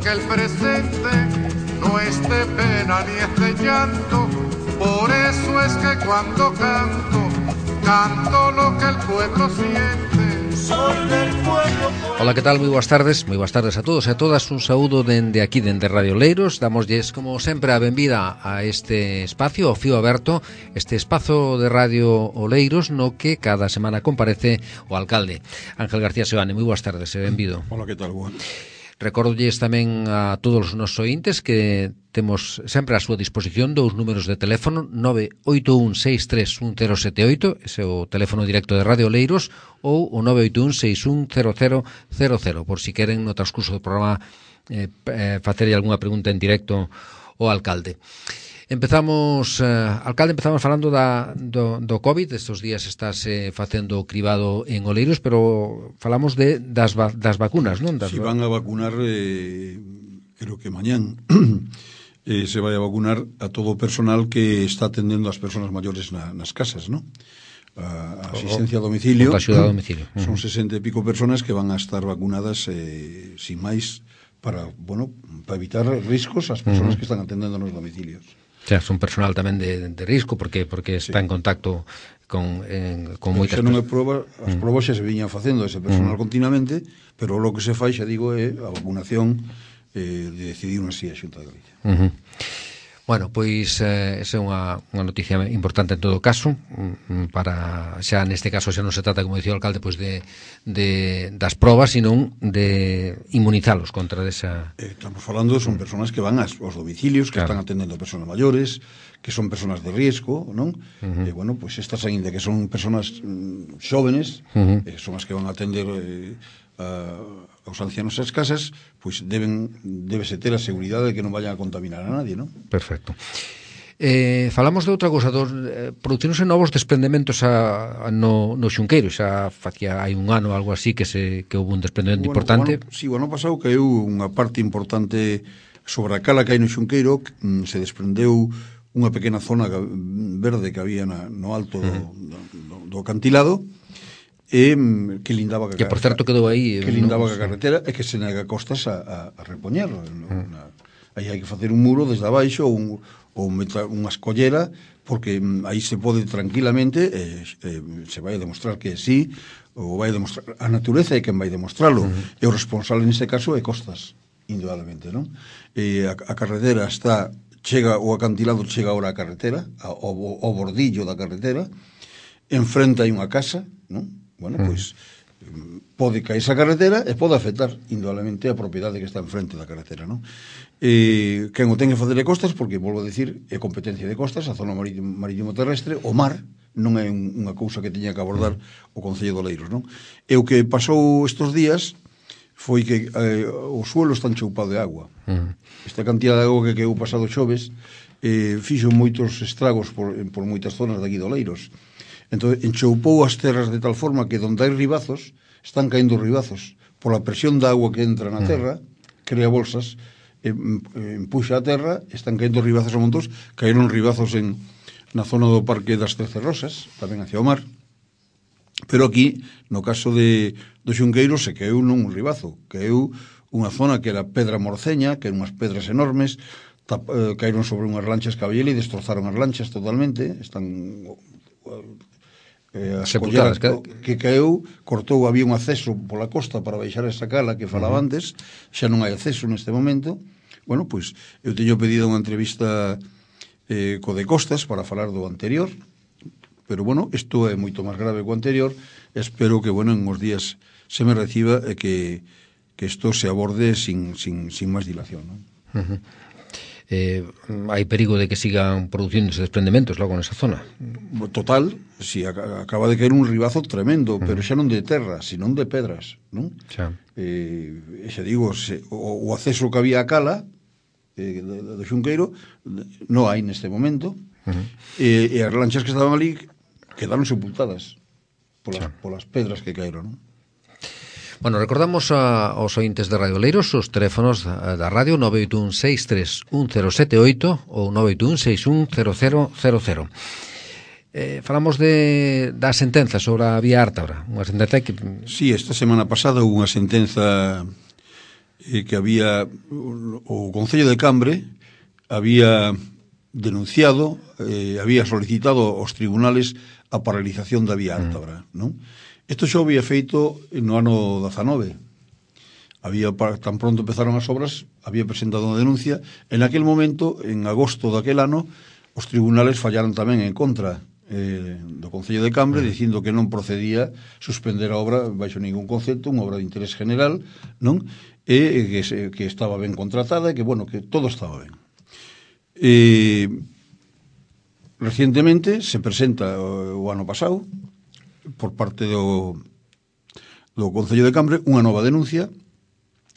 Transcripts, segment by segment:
que el presente no es de pena ni es de llanto. Por eso es que cuando canto, canto lo que el pueblo siente. Soy del pueblo. Ola, que tal? Moi boas tardes a todos e a todas. Un saúdo dende aquí, dende Radio Oleiros. Damoslles, como sempre, a benvida a este espacio, ao Fío Aberto, este espazo de Radio Oleiros no que cada semana comparece o alcalde Ángel García Seoane. Moi boas tardes e benvido. Ola, que tal? Boa. Recordolles tamén a todos os nosos ointes que temos sempre a súa disposición dous números de teléfono: 981631078, ese é o teléfono directo de Radio Oleiros, ou o 981610000, por si queren no transcurso do programa facerlle algunha pregunta en directo ao alcalde. Empezamos, alcalde, falando do COVID. Estes días estáse facendo o cribado en Oleiros, pero falamos das vacunas, non? Si van a vacunar, creo que mañán se vai a vacunar a todo o personal que está atendendo as persoas maiores nas casas, non? A asistencia a domicilio, a domicilio. Son 60 e pico personas que van a estar vacunadas sin máis para evitar riscos ás persoas que están atendendo nos domicilios. O sea, son personal tamén de risco porque está en contacto con moitas persoas. Non é proba, as probas xa se viñan facendo ese personal continuamente, pero o que se fai, xa digo, é a vacunación de decidir así a Xunta de Galicia. Bueno, pois esa é unha noticia importante en todo caso, para xa neste caso xa non se trata, como dicía o alcalde, pois das probas, sino de inmunizalos contra esa... Estamos falando, son persoas que van aos domicilios, que están atendendo a persoas maiores, que son persoas de riesgo, non? E, bueno, pois estas aínda que son persoas xóvenes, son as que van a atender aos ancianos ás casas, pois débese ter a seguridade de que non vayan a contaminar a nadie, non? Perfecto. Falamos de outra cousa, produciónse novos desprendementos no Xunqueiro. Xa facía hai un ano algo así que houve un desprendemento importante. Si, o ano pasado caeu unha parte importante sobre a cala que hai no Xunqueiro. Se desprendeu unha pequena zona verde que había no alto do acantilado, que lindaba que por certo quedou aí que lindaba a carretera e que se nega costas a repoñerlo. Aí hai que facer un muro desde abaixo ou unha escollera, porque aí se pode tranquilamente se vai a demostrar que sí, ou vai a demostrar a natureza é quen vai demostrarlo, e o responsable neste caso é Costas, indudablemente, non? A carretera chega, o acantilado chega ahora a carretera, ao bordillo da carretera, enfrente hai unha casa, non? Bueno, pois pode caer esa carretera e pode afectar indudablemente a propiedade que está enfrente da carretera, non? Quen o ten que facer de Costas, porque, volvo a dicir, é competencia de Costas, a zona marítimo terrestre. O mar non é unha cousa que teña que abordar o Concello de Oleiros, non? E o que pasou estes días foi que o suelo está enchoupado de agua. Esta cantidad de agua que quedou pasado xoves fixo moitos estragos por moitas zonas de aquí de Oleiros. Entón, enchoupou as terras de tal forma que onde hai ribazos, están caendo ribazos. Pola presión da agua que entra na terra, crea bolsas, empuxa a terra, están caendo ribazos a montos. Caeron ribazos na zona do Parque das 13 Rosas, tamén hacia o mar. Pero aquí, no caso do Xunqueiro, se caeu non un ribazo, caeu unha zona que era pedra morceña, que eran unhas pedras enormes, caeron sobre unhas lanchas caballela e destrozaron as lanchas totalmente. Están as colleras que caeu, cortou, había un acceso pola costa para baixar esa cala que falaba antes, xa non hai acceso neste momento. Bueno, pois eu teño pedido unha entrevista co de Costas para falar do anterior, pero, bueno, isto é moito máis grave que o anterior. Espero que, bueno, en os días se me reciba e que isto se aborde sin máis dilación, non? Hai perigo de que sigan produciéndose desprendementos logo nesa zona? Total, si acaba de caer un ribazo tremendo, pero xa non de terra, sino de pedras, non? Xa digo, o acceso que había a cala do Xunqueiro non hai neste momento, e as lanchas que estaban ali quedaron sepultadas polas pedras que caeron, non? Bueno, recordamos aos ointes de Radio Oleiros os teléfonos da radio 981631078 ou 981610000. Falamos da sentenza sobre a vía Ártabra, unha sentenza que... Sí, esta semana pasada houve unha sentenza que había o Concello de Cambre había denunciado, había solicitado aos tribunales a paralización da vía Ártabra, non? Isto xa había feito no ano 19. Tan pronto empezaron as obras, había presentado unha denuncia. En aquel momento, en agosto daquel ano, os tribunales fallaron tamén en contra do Concello de Cambre, dicindo que non procedía suspender a obra baixo ningún concepto, unha obra de interés general, non? E que estaba ben contratada e que, bueno, que todo estaba ben. Recientemente se presenta o ano pasado por parte do Concello de Cambre unha nova denuncia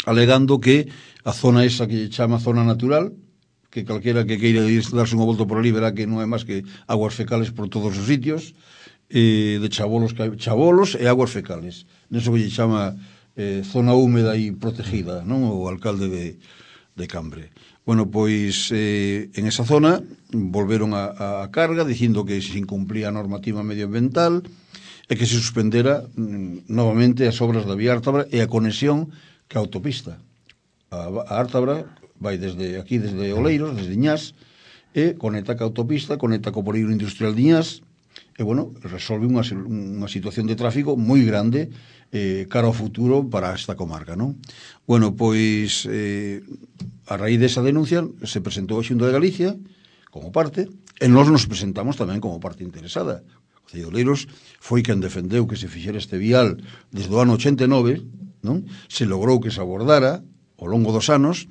alegando que a zona esa que chama zona natural, que calquera que queira darse unha volta por ali verá que non é máis que aguas fecales por todos os sitios, de chabolos e aguas fecales. Neso que lle chama zona húmeda e protegida, non? O alcalde de Cambre. Bueno, pois en esa zona volveron a carga dicindo que se incumplía a normativa medioambiental e que se suspendera novamente as obras da vía Ártabra e a conexión que a autopista. A Ártabra vai desde aquí, desde Oleiros, desde Iñás, e conecta ca autopista, conecta co polígono industrial de Iñás, e, bueno, resolve unha situación de tráfico moi grande cara ao futuro para esta comarca, non? Bueno, pois, a raíz desa denuncia se presentou a Xunta de Galicia como parte, e nós nos presentamos tamén como parte interesada. O Concello de Oleiros foi quen defendeu que se fixera este vial desde o ano 89, non? Se logrou que se abordara ao longo dos anos,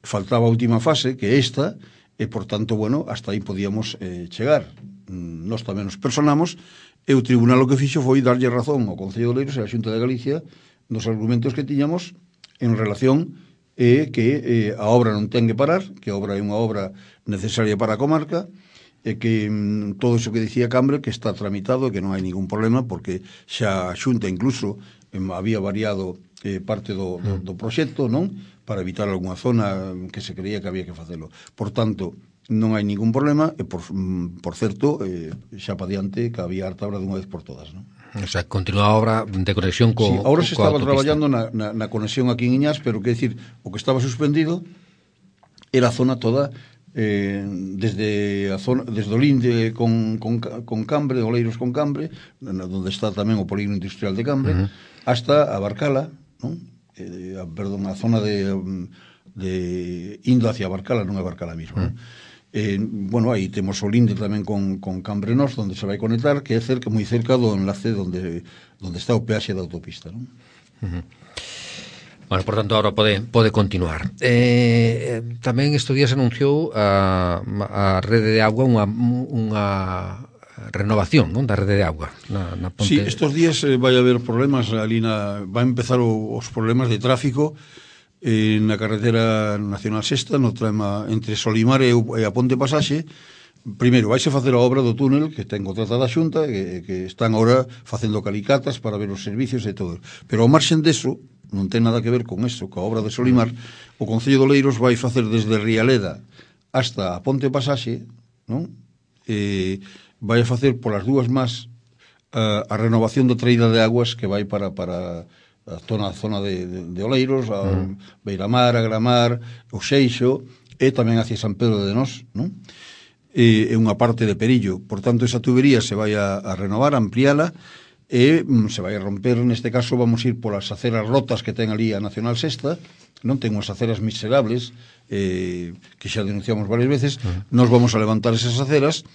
faltaba a última fase, que é esta, e, por tanto, bueno, hasta aí podíamos chegar. Nós tamén nos personamos, e o tribunal o que fixo foi darlle razón ao Concello de Oleiros e á Xunta de Galicia nos argumentos que tiñamos en relación que a obra non ten que parar, que a obra é unha obra necesaria para a comarca, e que todo iso que dicía Cambre que está tramitado e que non hai ningún problema, porque xa a Xunta incluso había variado parte do proxecto, non? Para evitar algunha zona que se creía que había que facelo. Por tanto, non hai ningún problema e, por certo, xa pa diante que había Ártabra dunha vez por todas, non? O sea, continúa a obra de conexión co sí, ahora se estaba traballando na conexión aquí en Iñás, pero que decir, o que estaba suspendido era a zona toda desde o linde con Cambre, Oleiros con Cambre, onde está tamén o polígono industrial de Cambre, hasta a Barcala, non? Perdón, a zona de indo hacia Barcala, non é Barcala mismo, non? Bueno, aí temos o linde tamén con Cambre Nós, onde se vai conectar, que é moi cerca do enlace onde está o peaxe da autopista, non? Bueno, por tanto, agora pode continuar. Tamén estes días anunciou a rede de agua unha renovación, non, da rede de agua na ponte. Sí, estes días vai haber problemas ali vai empezar os problemas de tráfico na carretera nacional 6 no trama entre Solimar e a Ponte Pasaxe. Primeiro, vaise facer a obra do túnel que ten contratada a Xunta que están agora facendo calicatas para ver os servicios e todo, pero ao marxen deso non ten nada que ver con eso, coa obra de Solimar. O Concello de Oleiros vai facer desde Rialeda hasta a Ponte Pasaxe, non? Vai a facer polas dúas más a renovación da traída de aguas que vai para a zona de Oleiros, a Beiramar, a Gramar, o Seixo, e tamén hacia San Pedro de Nós, non? É unha parte de Perillo. Por tanto, esa tubería se vai a renovar, a ampliala, e se vai a romper, neste caso vamos ir polas aceras rotas que ten ali a Nacional 6, non ten unhas aceras miserables que xa denunciamos varias veces. Nos vamos a levantar esas aceras,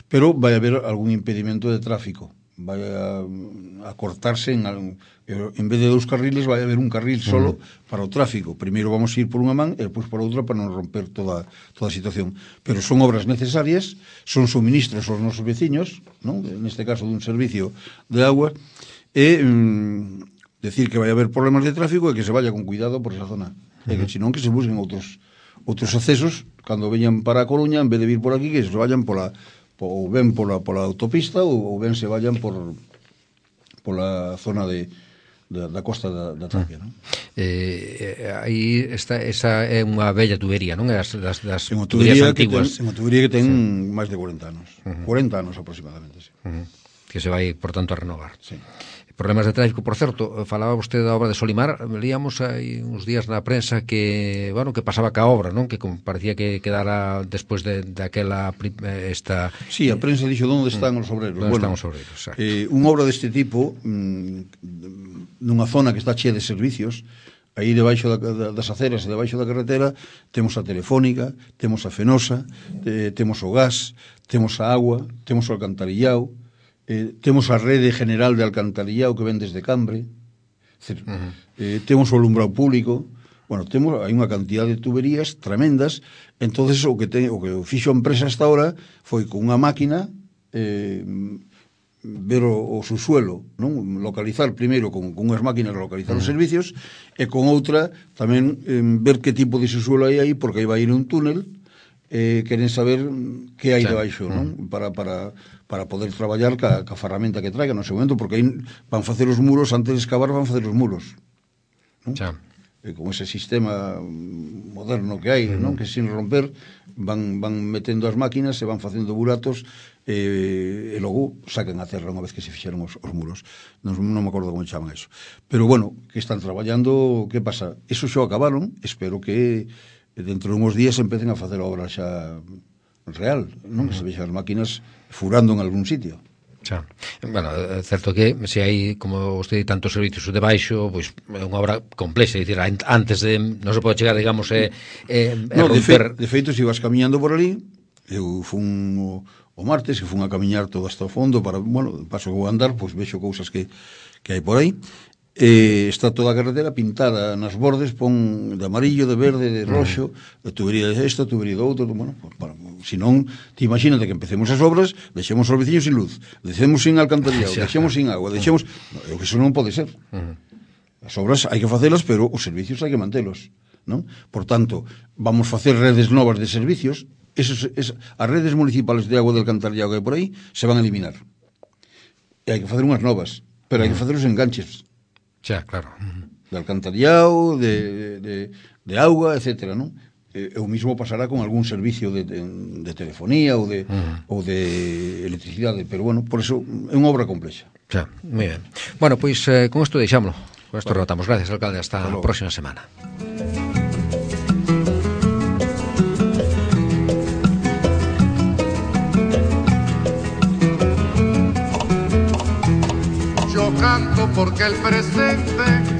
pero vai haber algún impedimento de tráfico, vai a cortarse en vez de 2 carriles vai haber un carril solo para o tráfico. Primeiro vamos a ir por unha man e depois por outra para non romper toda a situación, pero son obras necesarias, son suministros aos nosos veciños, non? Neste caso dun servicio de agua, e decir que vai haber problemas de tráfico e que se vaya con cuidado por esa zona, e que senón que se busquen outros accesos cando veñan para a Coruña, en vez de vir por aquí, que se vayan ou ben pola autopista ou ben se vayan pola zona da costa da Tapia, non? Aí esa é unha bella tubería, non? Das tuberías antiguas. É unha tubería que ten máis de 40 anos. 40 anos aproximadamente, sí. Que se vai, por tanto, a renovar. Sí. problemas de tráfico. Por certo, falaba vostede da obra de Solimar, leíamos aí uns días na prensa que, bueno, que pasaba ca obra, non? Que parecía que quedara despois daquela esta... Sí, a prensa dixo onde están os obreros. Onde están os obreros, exacto. Unha obra deste tipo, nunha zona que está chea de servicios, aí debaixo das aceras e debaixo da carretera, temos a Telefónica, temos a Fenosa, temos o gas, temos a agua, temos o alcantarillao, temos a rede general de alcantarillao que ven desde Cambre, temos o alumbrado público, bueno, hai unha cantidad de tuberías tremendas. Entonces o que fixo a empresa hasta ahora foi con unha máquina ver o subsuelo, non? Localizar primeiro con unhas máquinas localizar os servicios, e con outra tamén ver que tipo de subsuelo hai aí, porque aí vai ir un túnel, queren saber que hai debaixo, non? Para poder traballar ca ferramenta que traigan no seu momento, porque aí van facer os muros, antes de excavar van facer os muros, non? Con ese sistema moderno que hai, non? Que sin romper van metendo as máquinas e van facendo buratos, e logo sacan a terra unha vez que se fixeron os muros. Non me acordo como chaman eso, pero bueno, que están traballando. Que pasa? Eso xa acabaron. Espero que dentro de uns días empecen a facer a obra xa real, non? Que se vexan as máquinas furando en algún sitio. Xa. Bueno, é certo que se hai, como vostede, tantos servicios debaixo, pois é unha obra complexa, é dicir, antes de non se pode chegar, digamos, romper... De feito, se ibas camiñando por ali, eu fun o martes, que fun a camiñar todo hasta o fondo, para, bueno, paso que vou andar, pois vexo cousas que hai por aí. Está toda a carretera pintada nas bordes, pon de amarillo, de verde, de roxo, de tubería de esta, tubería de outro. Bueno, se non, te imagínate que empecemos as obras, deixemos os veciños sin luz, deixemos sin alcantarillado, deixemos sin agua, deixemos... Eso non pode ser. As obras hai que facelas, pero os servicios hai que mantelos, non? Por tanto, vamos facer redes novas de servicios. As redes municipales de agua del alcantarillado que hai por aí se van a eliminar. E hai que facer unhas novas, pero hai que facer os enganches. Xa, claro. De alcantarillado, de auga, etcétera, non? O mismo pasará con algún servicio de telefonía ou de electricidade, pero bueno, por eso é unha obra complexa. Xa, moi ben. Bueno, pois con isto deixámoslo. Con isto rematamos. Gracias, alcalde. Hasta a próxima semana. Canto porque el presente